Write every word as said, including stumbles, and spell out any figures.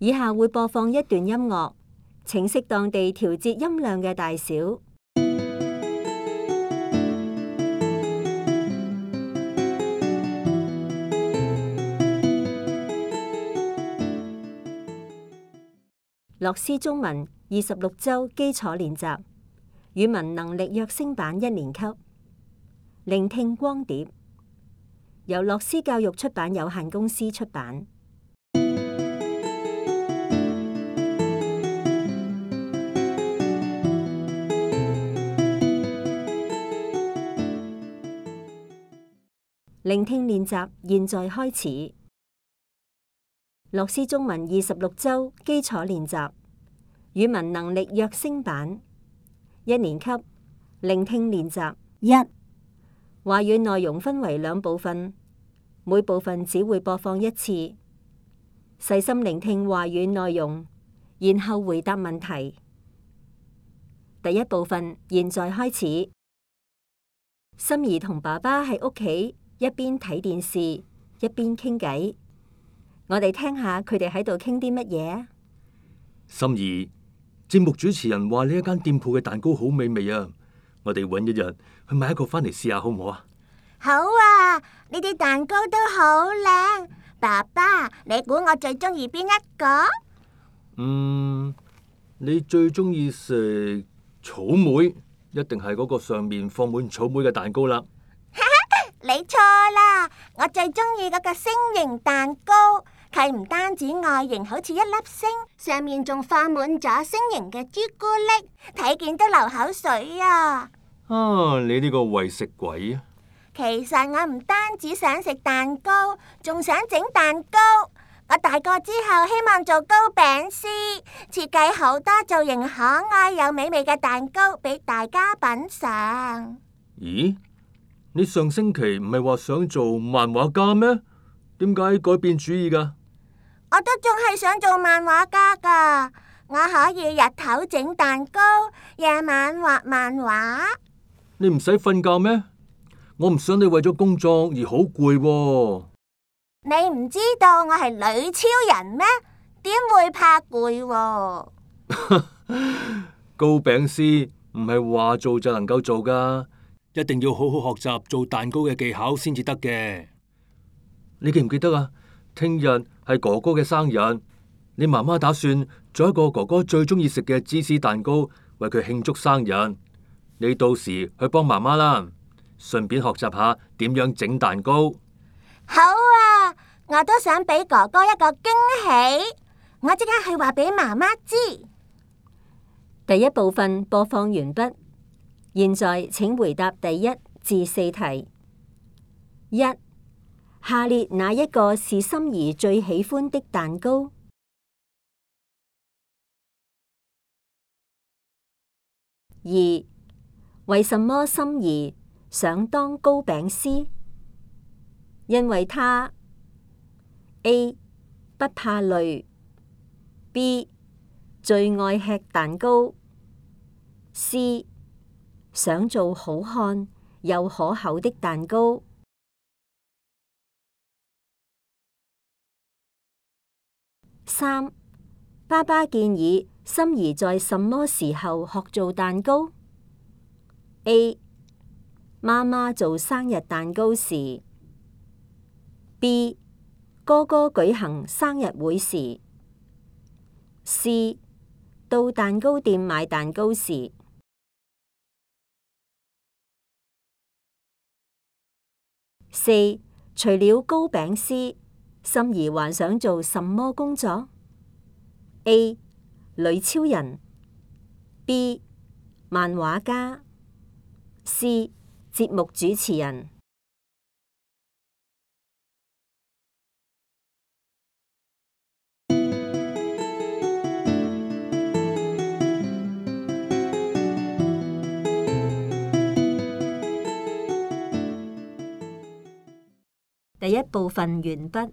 以下會播放一段音樂，請適當地調節音量嘅大小。樂師中文二十六週基礎練習，語文能力躍升版一年級，聆聽光碟，由樂師教育出版有限公司出版。聆聽練習現在開始。樂師中文二十六週基礎練習，語文能力躍升版一年級，聆聽練習一。話語內容分為兩部分，每部分只會播放一次。細心聆聽話語內容，然後回答問題。第一部分現在開始。心怡同爸爸喺屋企一邊睇電視一邊傾偈，我哋聽下佢哋喺度傾啲乜嘢啊？心怡，節目主持人話呢一間店鋪嘅蛋糕好美味啊！我哋搵一日去買一個翻嚟試下好唔好啊？好啊！呢啲蛋糕都好靚。爸爸，你估我最中意邊一個？嗯，你最中意食草莓，一定係嗰個上面放滿草莓嘅蛋糕啦。你錯啦，我最中意嗰個星形蛋糕，佢唔單止外形好似一粒星，上面仲放滿咗星形嘅朱古力，睇見都流口水啊！啊，你呢個為食鬼啊！其實我唔單止想食蛋糕，仲想整蛋糕。我大個之後希望做糕餅師，設計好多造型可愛又美味嘅蛋糕俾大家品嘗。咦？你上星期唔係話想做漫畫家咩？點解改變主意噶？我都仲係想做漫畫家噶，我可以日頭整蛋糕，夜晚畫漫畫。你唔使瞓覺咩？我唔想你為咗工作而好攰喎。你唔知道我係女超人咩？點會怕攰喎？糕餅師唔係話做就能夠做噶。一定要好好學習做蛋糕嘅技巧先至得嘅。你記唔記得啊？聽日係哥哥嘅生日，你媽媽打算做一個哥哥最中意食嘅芝士蛋糕，為佢慶祝生日。你到時去幫媽媽啦，順便學習下點樣整蛋糕。好啊，我都想俾哥哥一個驚喜，我即刻去話俾媽媽知。第一部分播放完畢。現在請回答第一至四題。一、下列哪一個是心怡最喜歡的蛋糕？二、為什麼心怡想當糕餅師？因為她 A 不怕累， B 最愛吃蛋糕， C想做好看又可口的蛋糕。三、爸爸建議心怡在什麼時候學做蛋糕？ A 媽媽做生日蛋糕時， B 哥哥舉行生日會時， C 到蛋糕店買蛋糕時。四、除了糕餅師，心怡還想做什麼工作？ A 女超人， B 漫畫家， C 節目主持人。第一部分完畢。